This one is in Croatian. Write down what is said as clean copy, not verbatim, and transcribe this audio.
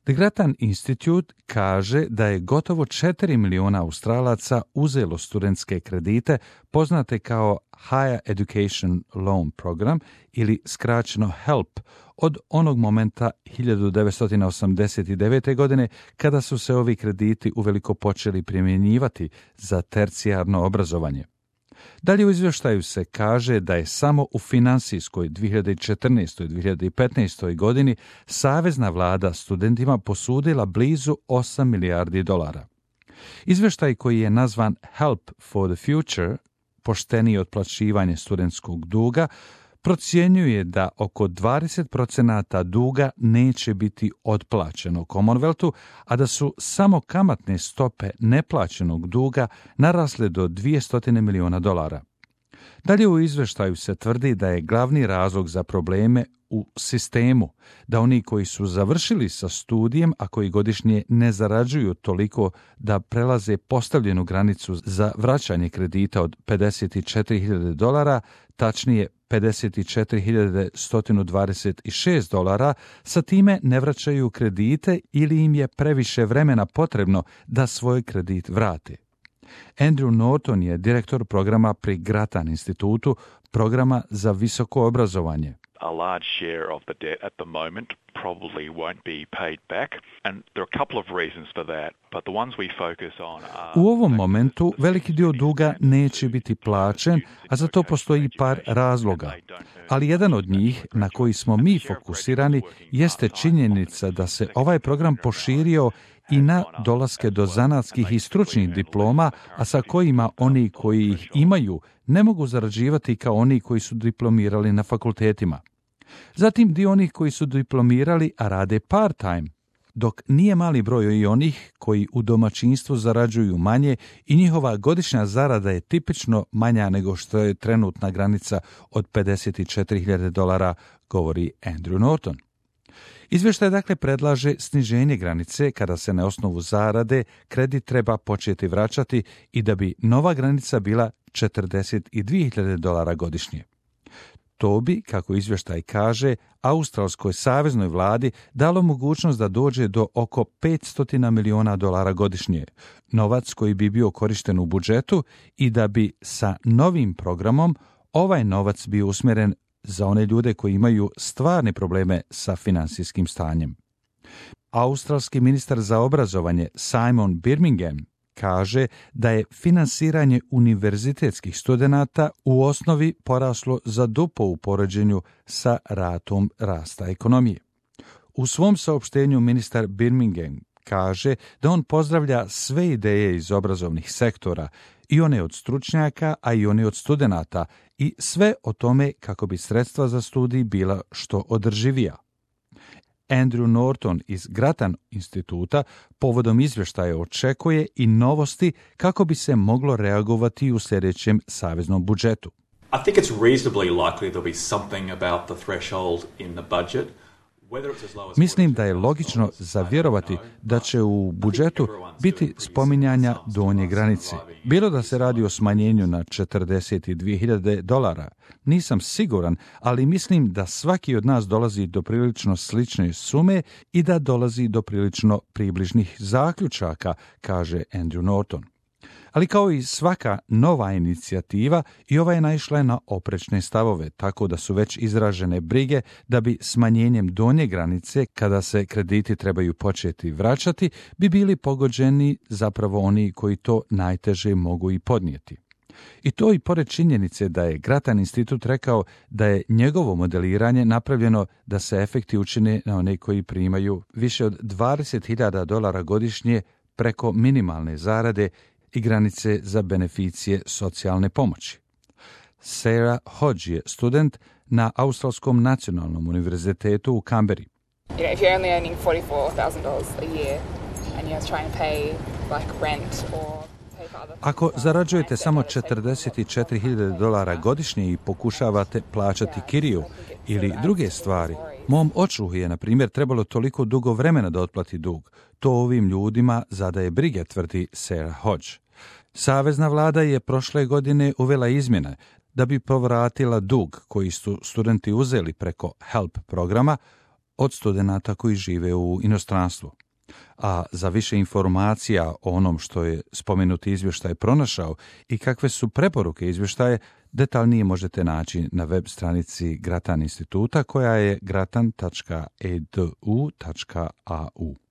The Grattan Institute kaže da je gotovo 4 miliona Australaca uzelo studentske kredite poznate kao Higher Education Loan Program ili skraćeno HELP od onog momenta 1989. godine kada su se ovi krediti uveliko počeli primjenjivati za tercijarno obrazovanje. Dalje u izvještaju se kaže da je samo u finansijskoj 2014. i 2015. godini savezna vlada studentima posudila blizu 8 milijardi dolara. Izvještaj koji je nazvan Help for the Future, poštenije otplaćivanje studentskog duga, procjenjuje da oko 20% duga neće biti otplaćeno Commonwealthu, a da su samo kamatne stope neplaćenog duga narasle do 200 miliona dolara. Dalje u izvještaju se tvrdi da je glavni razlog za probleme u sistemu, da oni koji su završili sa studijem, a koji godišnje ne zarađuju toliko da prelaze postavljenu granicu za vraćanje kredita od $54,000, tačnije $54,126, sa time ne vraćaju kredite ili im je previše vremena potrebno da svoj kredit vrate. Andrew Norton je direktor programa pri Grattan institutu, programa za visoko obrazovanje. A large share of the debt at the moment probably won't be paid back, and there are a couple of reasons for that, but the ones we focus on are... U ovom momentu veliki dio duga neće biti plaćen, a za to postoji par razloga. Ali jedan od njih, na koji smo mi fokusirani, jeste činjenica da se ovaj program proširio i na dolaske do zanatskih i stručnih diploma, a sa kojima oni koji ih imaju ne mogu zarađivati kao oni koji su diplomirali na fakultetima. Zatim dio onih koji su diplomirali, a rade part-time, dok nije mali broj i onih koji u domaćinstvu zarađuju manje i njihova godišnja zarada je tipično manja nego što je trenutna granica od $54,000, govori Andrew Norton. Izvještaj dakle predlaže sniženje granice kada se na osnovu zarade kredit treba početi vraćati i da bi nova granica bila $42,000 godišnje. To bi, kako izvještaj kaže, Australskoj saveznoj vladi dalo mogućnost da dođe do oko $500 miliona godišnje, novac koji bi bio korišten u budžetu i da bi sa novim programom ovaj novac bio usmjeren za one ljude koji imaju stvarne probleme sa finansijskim stanjem. Australski ministar za obrazovanje Simon Birmingham kaže da je finansiranje univerzitetskih studenata u osnovi poraslo za duplo u poređenju sa ratom rasta ekonomije. U svom saopštenju ministar Birmingham kaže da on pozdravlja sve ideje iz obrazovnih sektora, i one od stručnjaka, a i one od studenata, i sve o tome kako bi sredstva za studij bila što održivija. Andrew Norton iz Grattan instituta povodom izvještaja očekuje i novosti kako bi se moglo reagovati u sljedećem saveznom budžetu. I think it's reasonably likely there'll be something about the threshold in the budget. Mislim da je logično za vjerovati da će u budžetu biti spominjanja donje granice. Bilo da se radi o smanjenju na $42,000, nisam siguran, ali mislim da svaki od nas dolazi do prilično slične sume i da dolazi do prilično približnih zaključaka, kaže Andrew Norton. Ali kao i svaka nova inicijativa, i ova je naišla na oprečne stavove, tako da su već izražene brige da bi smanjenjem donje granice, kada se krediti trebaju početi vraćati, bi bili pogođeni zapravo oni koji to najteže mogu i podnijeti. I to i pored činjenice da je Grattan institut rekao da je njegovo modeliranje napravljeno da se efekti učine na one koji primaju više od $20,000 godišnje preko minimalne zarade i granice za beneficije socijalne pomoći. Sarah Hodge je student na Australskom nacionalnom univerzitetu u Canberri. If you're only earning $44,000 a year and you're trying to pay like rent or Ako zarađujete samo $44,000 godišnje i pokušavate plaćati kiriju ili druge stvari, mom očuhu je, na primjer, trebalo toliko dugo vremena da otplati dug. To ovim ljudima zadaje brige, tvrdi Sarah Hodge. Savezna vlada je prošle godine uvela izmjene da bi povratila dug koji su studenti uzeli preko HELP programa, od studenata koji žive u inostranstvu. A za više informacija o onom što je spomenuti izvještaj pronašao i kakve su preporuke izvještaje, detaljnije možete naći na web stranici Grattan instituta koja je gratan.edu.au.